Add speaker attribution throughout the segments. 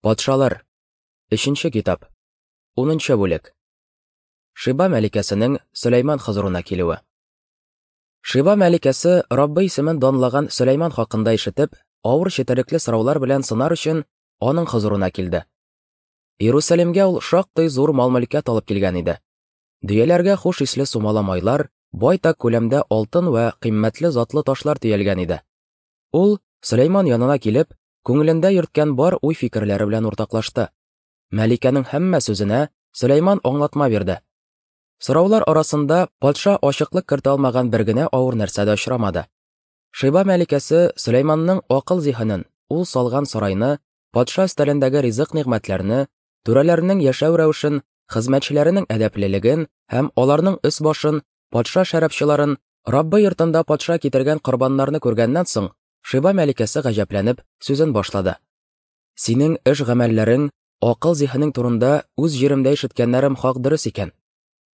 Speaker 1: Патшалар. Өченче китап. Унынчы бүлек. Шиба мәликәсенең Сөләйман хозурына килүе. Шиба мәликәсе Раббы исемен данлаган Сөләйман хакында ишетеп, авыр четерекле сораулар белән сынар өчен аның хозурына килде. Иерусалимгә ул шактый зур мал-мөлкәт алып килгән иде. Дөяләргә хуш исле сумала майлар, байтак күләмдә алтын вә кыйммәтле затлы ташлар төялгән иде. Ул, Сөләйман янына килеп, күңелендә йөрткән бар уй-фикерләре белән уртаклашты. Мәликәнең һәммә сүзенә Сөләйман аңлатма бирде. Сораулар арасында патша ачыклык кертә алмаган бер генә авыр нәрсә дә очрамады. Шиба мәликәсе Сөләйманның акыл-зиһенен, ул салган сарайны, патша өстәлендәге ризык-нигъмәтләрне, түрәләрнең яшәү рәвешен, хезмәтчеләренең әдәплелеген һәм аларның өс-башын, патша шәрабчыларын, Раббы йортында патша китергән корбаннарны күргәннән соң, Шиба мәликәсе гаҗәпләнеп сүзен башлады. Синең эш-гамәлләрең, акыл-зиһенең турында үз җиремдә ишеткәннәрем хак дөрес икән.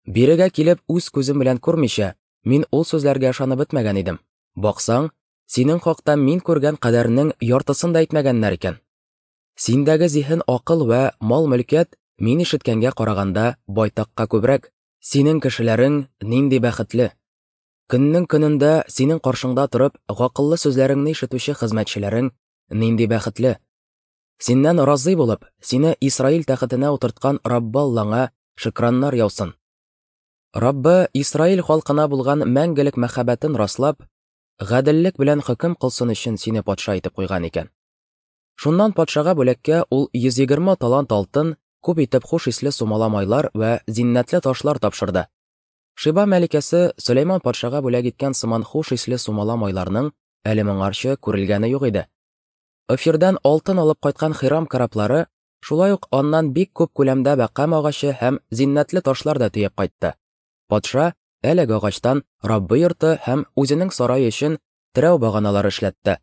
Speaker 1: Бирегә килеп үз күзем белән күрмичә, мин ул сүзләргә ышанып бетмәгән идем. Баксаң, синең хакта мин күргән кадәрнең яртысын да әйтмәгәннәр икән. Синдәге зиһен-акыл вә мал-мөлкәт мин ишеткәнгә караганда байтакка күбрәк. Синең кешеләрең нинди бәхетле! Көннең көнендә синең каршыңда торып, гакыллы сүзләреңне ишетүче хезмәтчеләрең нинди бәхетле! Синнән разый булып, сине Исраил тәхетенә утырткан Раббы Аллаңа шөкраннар яусын. Раббы Исраил халкына булган мәңгелек мәхәббәтен раслап, гаделлек белән хөкем кылсын өчен сине патша итеп куйган икән. Шуннан патшага бүләккә ул 120 талант алтын, күп итеп хуш исле сумала майлар вә зиннәтле ташлар тапшырды. Шиба мәликәсе Сөләйман патшага бүләк иткән сыман хуш исле сумала майларның әле моңарчы күрелгәне юк иде. Офирдән алтын алып кайткан Хирам кораблары шулай ук аннан бик күп күләмдә бәкам агачы һәм зиннәтле ташлар да төяп кайтты. Патша әлеге агачтан Раббы йорты һәм үзенең сарае өчен терәү баганалары эшләтте.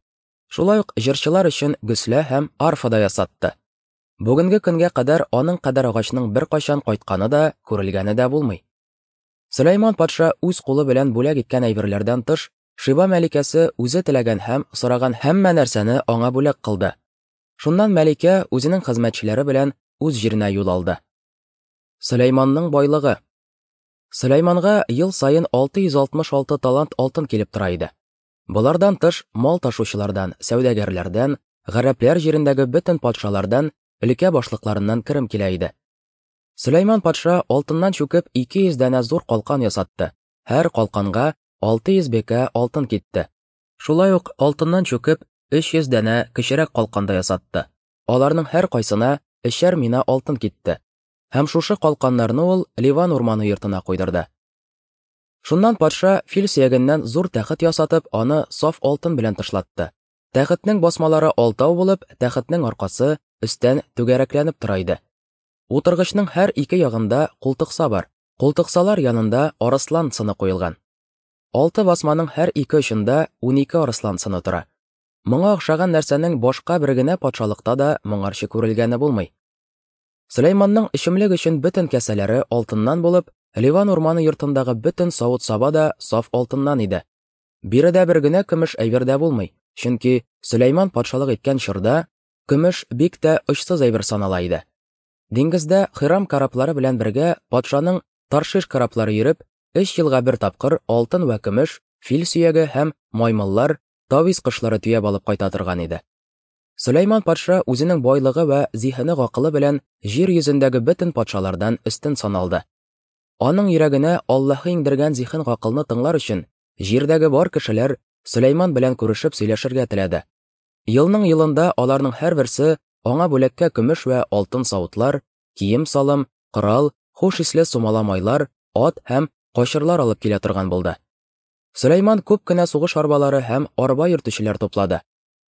Speaker 1: Шулай ук җырчылар өчен гөслә һәм арфа да ясатты. Бүгенге көнгә кадәр аның кадәр агачның беркайчан кайтканы да, күрелгәне дә булмый. Сөләйман патша үз кулы белән бүләк иткән әйберләрдән тыш, Шиба мәликәсе үзе теләгән һәм сораган һәммә нәрсәне аңа бүләк кылды. Шуннан мәликә үзенең хезмәтчеләре белән үз җиренә юл алды. Сөләйманның байлыгы. Сөләйманга ел саен 666 талант алтын килеп тора иде. Болардан тыш, мал ташучылардан, сәүдәгәрләрдән, гарәпләр җирендәге бөтен патшалардан, өлкә башлыкларыннан керем килә иде. Сөләйман патша алтыннан чүкеп 200 данә зур калкан ясатты. Һәр калканга 600 бекә алтын китте. Шулай ук алтыннан чүкеп 300 данә кечерәк калкан да ясатты. Аларның һәркайсына өчәр мина алтын китте. Һәм шушы калканнарны ул Ливан урманы йортына куйдырды. Шуннан патша фил сөягеннән зур тәхет ясатып, аны саф алтын белән тышлатты. Тәхетнең басмалары алтау булып, тәхетнең аркасы өстән түгәрәкләнеп тора иде. Утыргычның һәр ике ягында култыкса бар. Култыксалар янында арыслан сыны куелган. Алты басманың һәр ике очында 12 арыслан сыны тора. Моңа охшаган нәрсәнең башка бер генә патшалыкта да моңарчы күрелгәне булмый. Сөләйманның эчемлек өчен бөтен кәсәләре алтыннан булып, Ливан урманы йортындагы бөтен савыт-саба да саф алтыннан иде. Биредә бер генә көмеш әйбер дә булмый, чөнки Сөләйман патшалык иткән чорда көмеш бик тә очсыз әйбер санала иде. Диңгездә Хирам кораблары белән бергә патшаның Таршиш кораблары йөреп, өч елга бер тапкыр алтын вә көмеш, фил сөяге һәм маймыллар, тавис кошлары төяп алып кайта торган иде. Сөләйман патша үзенең байлыгы вә зиһене-гакылы белән җир йөзендәге бөтен патшалардан өстен саналды. Аның йөрәгенә Аллаһы иңдергән зиһен-гакылны тыңлар өчен, җирдәге бар кешеләр Сөләйман белән күрешеп сөйләшергә теләде. Елның елында аларның һәрберсе аңа бүләккә көмеш вә алтын савытлар, кием-салым, корал, хуш исле сумала майлар, ат һәм качырлар алып килә торган булды. Сөләйман күп кенә сугыш арбалары һәм арба йөртүчеләр туплады.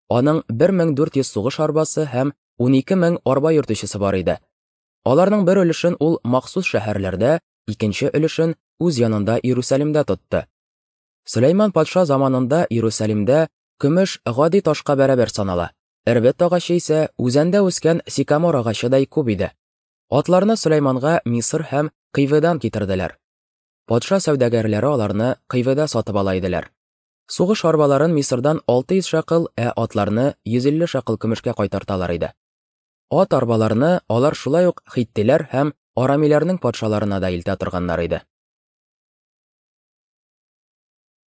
Speaker 1: Аның 1400 сугыш арбасы һәм 12000 арба йөртүчесе бар иде. Аларның бер өлешен ул махсус шәһәрләрдә, икенче өлешен үз янында Иерусалимдә тотты. Сөләйман патша заманында Иерусалимдә көмеш гади ташка бәрабәр санала. Эрбет агачы исә үзәндә үскән сикамор агачыдай күп иде. Атларны Сөләйманга Мисыр һәм Кыйведан китерделәр. Патша сәүдәгәрләре аларны Кыйведа сатып ала иделәр. Сугыш арбаларын Мисырдан 600 шәкыл, ә атларны 150 шәкыл көмешкә кайтарталар иде. Ат арбаларны алар шулай ук хиттиләр һәм арамиләрнең патшаларына да илтә торганнар иде.